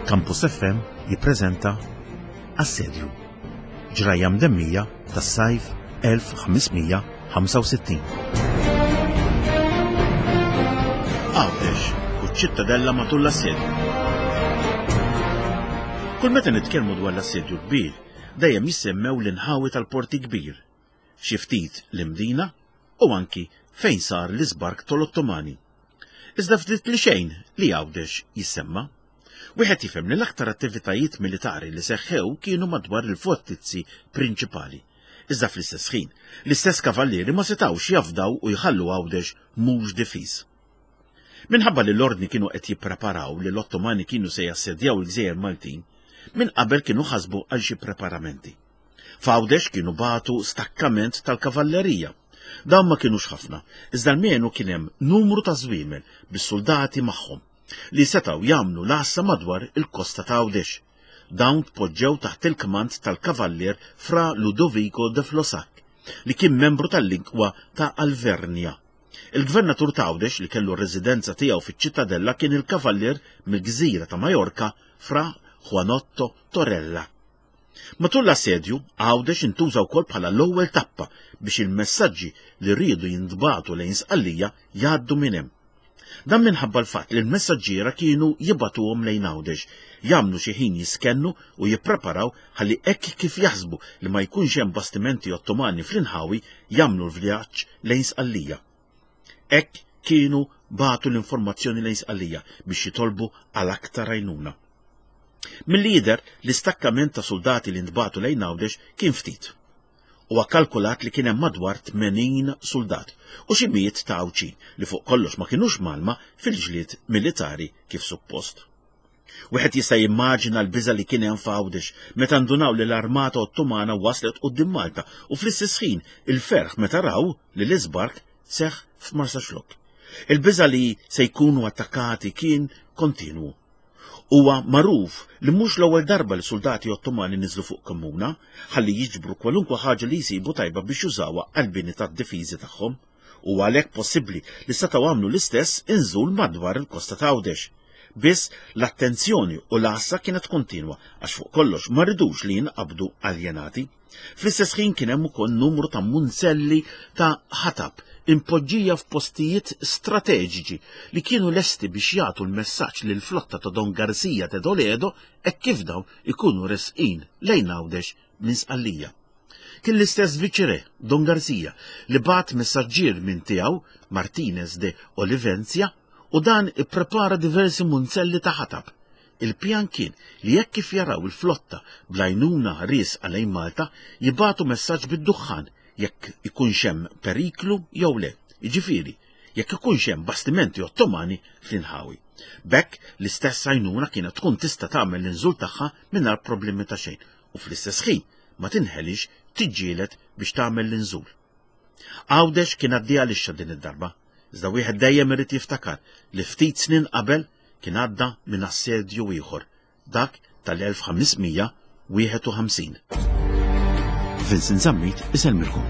Campus FM jippreżenta Assedju, ġrajja mdemmija tas-sajf 1565. Għawdex u ċ-Ċittadella matul l-assedju. Kull meta nitkellmu dwar l-assedju kbir, dejjem jissemmew l-inħawi tal-Porti Kbir, xi ftit l-Imdina u anki fejn sar l-iżbark tal-Ottomani. Iżda ftit li xejn li Għawdex jissemma. Wieħed jifhem li l-aktar attivitajiet militari li seħħew kienu madwar il-fortizzi prinċipali. Iżda fl-istess ħin, l-istess kavallieri ma setgħux jafdaw u jħallu Għawdex mhux difiż. Minħabba li l-Ordni kienu qed jippreparaw li l-Ottomani kienu se jassedjaw il-gżejjer Maltin, minn qabel kienu ħasbu għal xi preparamenti. F'Għawdex kienu bagħtu stakkament tal-kavallerija. Dawn ma kinux ħafna, iżda almenu kien hemm numru ta' żwiemel bis-suldati magħhom li setgħu jagħmlu l-għassa madwar il-kosta ta' Għawdex. Dawn tpoġġew taħt il-kmand tal-kavallier Fra Ludovico de Flosac, li kien membru tal-Linkwa ta' Alvernja. Il-gvernatur ta' Għawdex li kellu r-residenza tiegħu fiċ-Ċittadella kien il-kavallier mill-gżira ta' Majorka Fra Juanotto Torella. Matul l-assedju, Għawdex intuża wkoll bħala l-ewwel tappa biex il-messaġġi li riedu jintbagħtu lejn Sqallija jgħaddu minn hemm. Dan minħabba l-fatt li l-messaġġiera kienu jibagħtuhom lejn Għawdex, jagħmlu xi ħin jiskennu u jippreparaw ħalli hekk kif jaħsbu li ma jkunx hemm bastimenti Ottomani fl-inħawi jagħmlu l-vjaġġ lejn Sqallija. Hekk kienu bagħtu l-informazzjoni lejn Sqallija biex jitolbu għal aktar għajnuna. Milli jidher, l-istakkament ta' suldati li ntbagħtu lejn Għawdex kien ftit. Huwa kkalkulat li kien hemm madwar 80 suldat u xi mijiet ta' Għawdxin li fuq kollox ma kinux mgħallma fil-ġlied militari kif suppost. Wieħed jista' jimmaġina l-biża' li kien hemm f'Għawdex meta ndunaw li l-armata Ottomana waslet quddiem Malta u fl-istess ħin il-ferħ meta raw li l-iżbark seħħ f'Marsaxlokk. Il-biża' li se jkunu attakkati kien kontinwu. Huwa magħruf li mhux l-ewwel darba li suldati Ottomani niżlu fuq Kemmuna ħalli jiġbru kwalunkwe ħaġa li jsibu tajba biex jużawha għall-bini tad-difiżi tagħhom. Huwa għalhekk possibbli li setgħu għamlu l-istess inżul madwar il-kosta ta' Għawdex. Biss l-attenzjoni u l-għassa kienet kontinwa għax fuq kollox ma ridux li jinqabdu aljenati. Fl-istess ħin kien hemm ukoll numru ta' munzelli ta' ħatab impoġġija f'postijiet strateġiċi li kienu lesti biex jagħtu l-messaġġ lill-flotta ta' Don Garcia de Toledo hekk kif dawn ikunu resqin lejn Għawdex minn Sqallija. Kien l-istess viċirè, Don Garcia, li bagħat messaġġier minn tiegħu, Martinez de Olivencia, u dan ipprepara diversi munzelli ta' ħatab. Il-pjan kien li hekk kif jaraw il-flotta bl-għajnuna riesqa lejn Malta, jibagħtu messaġġ bid-duħħan jekk ikunx hemm periklu jew le, jiġifieri, jekk ikunx hemm bastimenti Ottomani fl-inħawi. B'hekk, l-istess għajnuna kienet tkun tista' tagħmel l-inżul tagħha mingħajr problemi ta' xejn u fl-istess ħin ma tinħelix tiġġieled biex tagħmel l-inżul. Għawdex kien għaddieha lixxa din id-darba, iżda wieħed dejjem irid jiftakar li ftit snin qabel kien għadda minn assedju ieħor, dak tal-1551. Vincent Zammit isellmilkom.